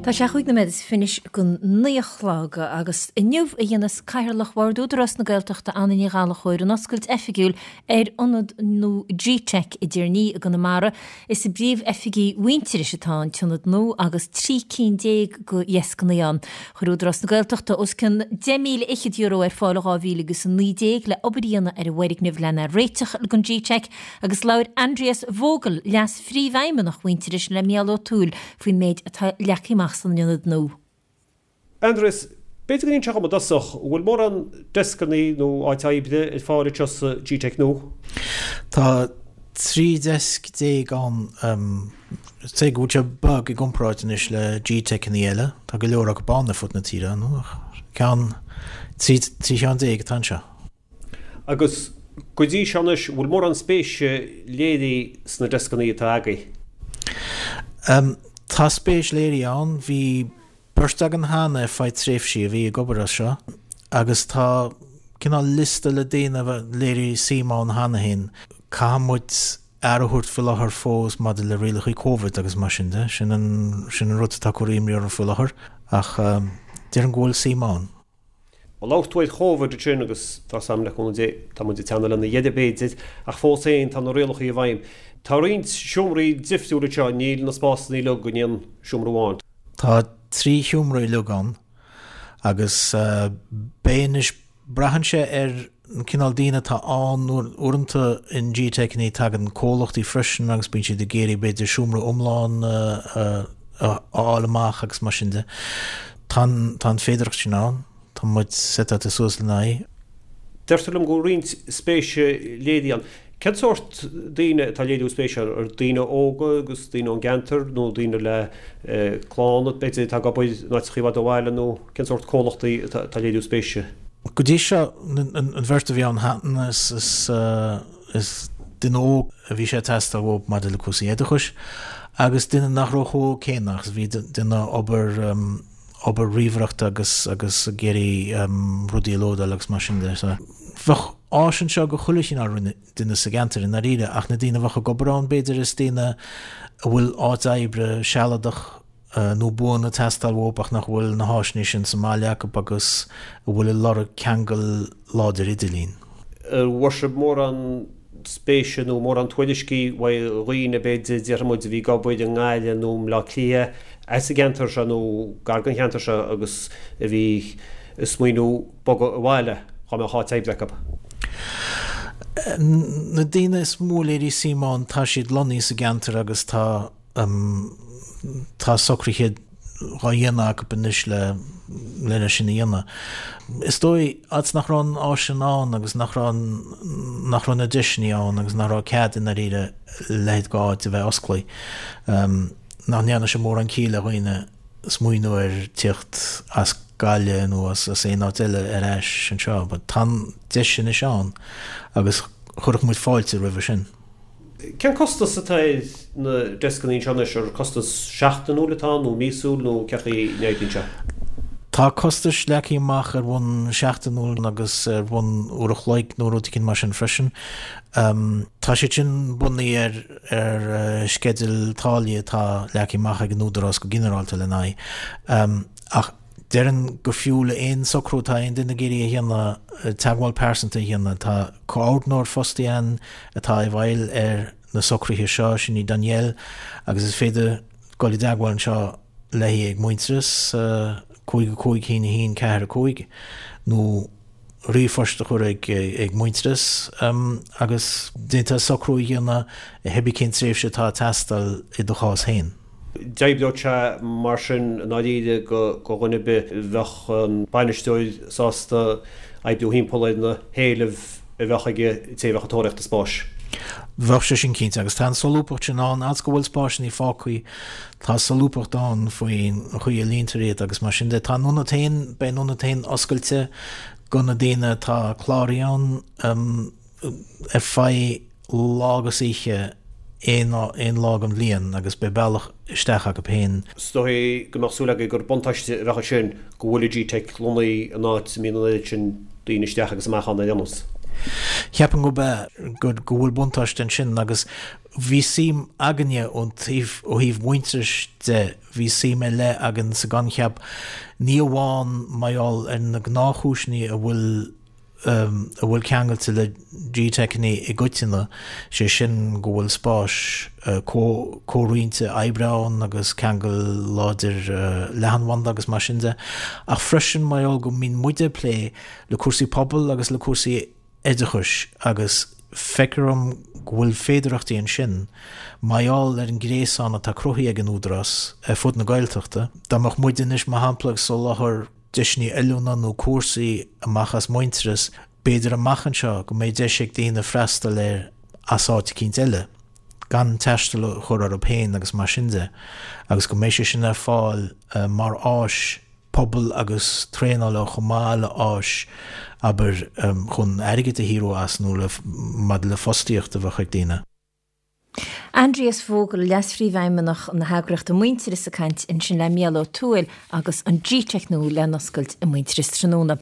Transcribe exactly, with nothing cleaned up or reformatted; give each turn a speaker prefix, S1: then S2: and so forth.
S1: Tá sé chúig nóiméad is fiche go naoi a chlog agus inniu a dhéanfas Cathaoirleach Bhord Údarás na Gaeltachta Anna Ní Ghallchóir an oscailt oifigiúil ar ionad nua G-Tech i dTír an Fhia i gConamara. Is i bpríomh-oifigí Mhuintearais atá an t-ionad nua agus trí cinn déag de dheascanna ann. Chuir Údarás na Gaeltachta os cionn deich míle fhichead euro ar fáil dhá mhíle agus a naoi déag le obair a dhéanamh ar an bhfoirgneamh lena réiteach don G-Tech agus labhair Andreas Vogel, leas-phríomhfheidhmeannach Mhuintearais le Mícheál Ó Tuathail faoin méid atá leagtha amach san ionad nua.
S2: Andreas, b'fhéidir go n-inseofá dom i dtosach, an bhfuil mórán deascanna nó áit oibre ar fáil anseo sa G-Tech nua?
S3: Tá trí deasc déag ann, cé go bhfuil sé beag i gcomparáid anois le G-Techanna eile, tá go leor acu ann ar fud na tíre, nó ceann, trí trí cheann déag atá anseo.
S2: Agus go dtí seo anois, an bhfuil mórán spéise léirithe sna deascanna atá agaibh?
S3: Tá spéis léirithe ann. Bhí beirt againn cheana ar feadh tréimhsí a bhí ag obair as seo agus tá cineál liosta le daoine a léirigh suim ann cheana féin. Caithfidh muid aire a thabhairt faoi láthair fós maidir le rialacha Covid agus mar sin de. Sin an, sin an rud atá ag cur imní orainn faoi láthair ach déarfainn go bhfuil suim ann.
S2: Labhair tú ar Chóvid ansin agus tá 's a'm le cúnamh Dé, tá muid ag teannadh lena dheireadh b'fhéidir, ach fós féin tá na rialacha i bhfeidhm. Tá roinnt seomraí difriúla anseo, níl na spásanna uilig in aon seomra amháin.
S3: Tá trí sheomra uilig ann agus beidh anois, braitheann sé ar an cineál daoine atá ann, uaireanta in G-Tech tagann comhlachtaí freisin agus bíonn siad ag iarraidh b'fhéidir seomra iomlán a fháil amach agus mar sin de. Tá an féidearthacht sin ann. Tá muid setáilte suas lena aghaidh.
S2: Deirtear liom go bhfuil roinnt spéise léirithe ann. Cén sórt daoine atá ag léiriú spéise? Ar daoine óga agus daoine ón gceantar nó daoine le clann b'fhéidir atá ag obair in áiteacha i bhfad ó bhaile nó cén sórt comhlachtaí atá ag léiriú spéise?
S3: Go dtí seo, an bheirt a bhí ann cheana, is duine óg a bhí sé ag teastáil uathu maidir le cúrsaí oideachais agus duine nach raibh chomh hóg céanna agus bhí duine obair obair ríomhaireachta agus agus ag iarraidh rudaí a lódáil agus mar sin de. So bheadh áis anseo go chuile chineál duine sa gceantar i ndáiríre ach na daoine a bheadh ag obair ann b'fhéidir is daoine a bhfuil áit oibre sealadach nó buan ag teastáil uathu ach nach bhfuil na háiseanna sin sa mbaile acu agus a bhfuil ag lorg ceangal láidir idirlín.
S2: An bhfuair sibh mórán spéise nó mórán tuairiscí uaidh dhaoine, b'fhéidir, déarfaidh muid, a bhí ag obair i nGaillimh nó i mBleá Cliath, as an gceantar seo nó gar don cheantar seo agus a bhí ag smaoineamh bogadh abhaile dhá mbeadh áit oibre acu.
S3: Na daoine is mó a léirigh suim ann, tá siad lonnaithe sa gceantar agus tá. Tá socruithe dhá dhéanamh acu anois le lena sin a dhéanamh. Is dóigh, fhad 's nach raibh an áis sin ann agus nach raibh nach raibh na deiseanna ann agus nach raibh cead i ndáiríre leithéid d'áit a bheith osclaithe, nach ndearna sé mórán ciall le dhaoine smaoineamh ar tíocht as Gaillimh nó as aon áit eile ar ais anseo. But tá an deis anois ann agus chuirfeadh muid fáilte roimhe sin.
S2: Cén costas atá ar na deascanna anseo anois? Ar costas seachtainiúil atá ann nó míosúil nó cén chaoi a n-oibríonn sé?
S3: Tá costais leagtha amach ar bhonn seachtainiúil agus ar bhonn uair a chloig nó rud éicint mar sin freisin. Tá siad sin bunaithe ar ar sceideal táillí atá leagtha amach ag an Údarás go ginearálta lena aghaidh. Ach déarfainn gur fiú le aon socrú atá aon duine ag iarraidh a dhéanamh, teagmháil pearsanta a dhéanamh. Tá comhordnóir fostaithe againn atá i bhfeighil ar na socruithe seo, sin í Danielle, agus is féidir dul i dteagmháil anseo léi ag Muintearas, cúig a cúig a haon a haon ceathair a cúig, nó ríomhphost a chur ag ag Muintearas agus déantar socrú a dhéanamh cibé cén tréimhse atá ag teastáil i do chás féin.
S2: D'oibreodh sé mar sin i ndáiríre go dhuine ar bith. Bheadh an bainisteoir sásta oibriú thimpeall ar na héilimh a bheadh ag an té a bheadh ag tóraíocht an spáis.
S3: Bheadh sé sin cinnte, agus tá an solúbthacht sin ann, fhad 's go bhfuil spásanna fágtha, tá solúbthacht ann faoin chaoi a líontar iad agus mar sin de. Tá an ionad féin, beidh an ionad féin oscailte go na daoine atá cláraithe ann ar feadh lá agus oíche aon aon lá den bhliain agus beidh bealach isteach acu féin.
S2: Is dóigh go mbeadh súil agaibh gur buntáiste a bheadh ansin go bhfuil an G-Teic lonnaithe in áit a mbíonn an oiread sin daoine isteach agus amach ann ar aon nós.
S3: Cheapfainn gurb ea, go bhfuil buntáiste ansin agus bhí suim againne ón taobh, ó thaobh Muintearais de, bhí suim ar leith againn sa gcoincheap, ní amháin mar gheall ar na gnáthchúiseanna a bhfuil a bhfuil ceangailte le G-Teiceanna i gcoitinne, sé sin go bhfuil spáis comhroinnte oibre ann agus ceangal láidir leathanbhanda agus mar sin de, ach freisin mar gheall go mbíonn muide ag plé le cúrsaí pobail agus le cúrsaí oideachais agus feictear dom go bhfuil féidearthachtaí ansin mar gheall ar an ngréasán atá cruthaithe ag an Údarás ar fud na Gaeltachta. Dá mbeadh muid anois, mar shampla, ag soláthar deiseanna oiliúna nó cúrsaí amach as Muintearas, b'fhéidir amach anseo go mbeidh deis ag daoine freastal air as áit eicínt eile, gan taisteal a chur orthu féin agus mar sin de, agus go mbeidh sé sin ar fáil mar áis pobail agus traenála chomh maith le áis, abair, chun airgead a shaothrú as nó le maidir le fostaíocht a bheadh ag daoine.
S1: Aindrias Vogel, Leas-Phríomhfheidhmeannach na heagraíochta Muintearas ag caint ansin le Mícheál Ó Tuathail agus an G-Teic nua le n-oscailt i Muintearas tráthnóna.